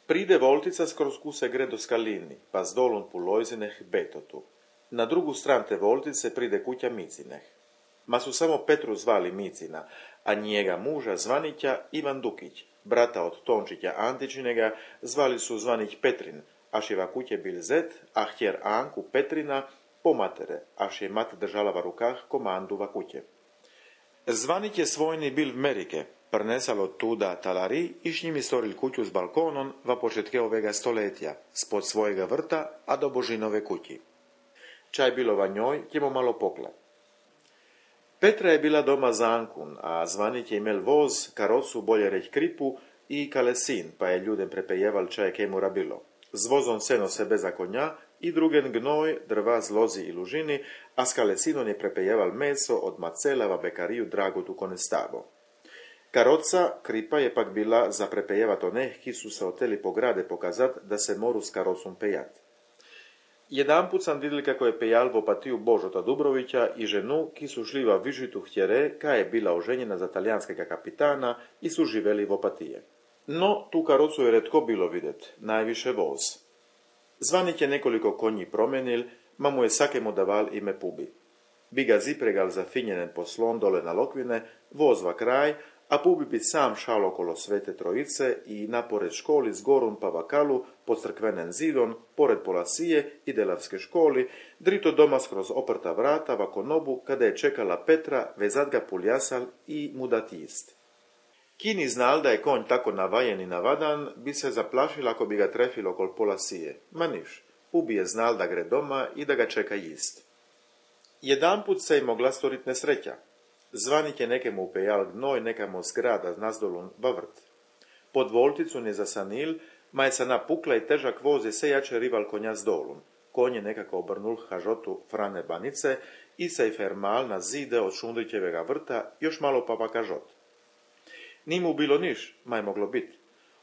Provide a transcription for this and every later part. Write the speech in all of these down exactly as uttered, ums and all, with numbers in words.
Pride voltica skroz kuse gre do Skalini, pa s dolom pu Lojzineh Betotu. Na drugu stran te voltice pride kuća Micineh. Ma su samo Petru zvali Micina, a njega muža Zvanića Ivan Dukić, brata od Tončića Antičinega, zvali su Zvanić Petrin, aš je kuće bil zet, a htjer Anku Petrina pomatere, aš je mat držala v rukah komandu va kuće. Zvanić je svojni bil v Merike, prnesalo tuda talari i s njimi storil kuću s balkonom va početke ovega stoletja, spod svojega vrta, a do Božinove kući. Čaj bilo va njoj, ćemo malo pokla. Petra je bila doma za Ankun, a Zvanić je imel voz, karocu, bolje reć kripu i kalesin, pa je ljudem prepejeval čaj kemura bilo. Z vozom seno se beza konja i drugen gnoj, drva z lozi i lužini, a s kalesinom je prepejeval meso od macela va bekariju Dragotu Konestavo. Karoca, kripa je pak bila za prepejevat oneh, ki su se oteli po grade pokazat da se moru s karocom pejat. Jedanput sam vidjeli kako je pejal v opatiju Božota Dubrovića i ženu, ki su šli va Vižitu htjere, ka je bila oženjena za talijanskega kapitana i su živeli v opatije. No, tu karocu je retko bilo videt, najviše voz. Zvanić je nekoliko konji promenil, ma mu je sakemu daval ime Pubi. Bi ga zipregal zafinjenen poslon dole na Lokvine, voz va kraj, a Pubi bi sam šal okolo Svete Trojice i napored školi s gorom pa vakalu pod crkvenen zidon, pored Polasije i Delavske školi, drito doma skroz oprta vrata va konobu kada je čekala Petra vezat ga puljasal i mu dat jist. Kini znal da je konj tako navajen i navadan, bi se zaplašil ako bi ga trefilo okol Polasije. Ma niš, Pubi je znal da gre doma i da ga čeka jist. Jedanput se je mogla storit nesreća. Zvanić je nekemu upejal gnoj nekamo zgrada nazdolun va vrt. Pod volticu ne zasanil, ma je sa napukla i težak voz je se jače rival konja s dolun. Konj je nekako obrnul hažotu Frane Banice i se je fermal na zide od Šundrićevega vrta, još malo pa pa kažot. Ni mu bilo niš, ma je moglo bit.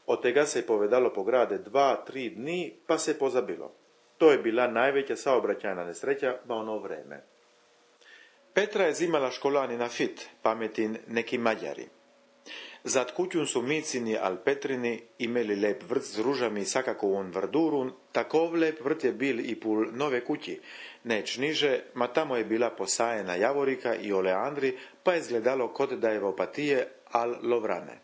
Od tega se je povedalo po grade dva, tri dni, pa se je pozabilo. To je bila najveća saobraćajna nesreća ba ono vreme. Petra je zimala školani na fit, pametin neki Mađari. Zad kućun su Micini al Petrini imeli lep vrt s ružami i sakako on vrdurun, takov lep vrt je bil i pul nove kući, neć niže, ma tamo je bila posajena javorika i oleandri, pa je izgledalo kod da je v opatije al Lovrane.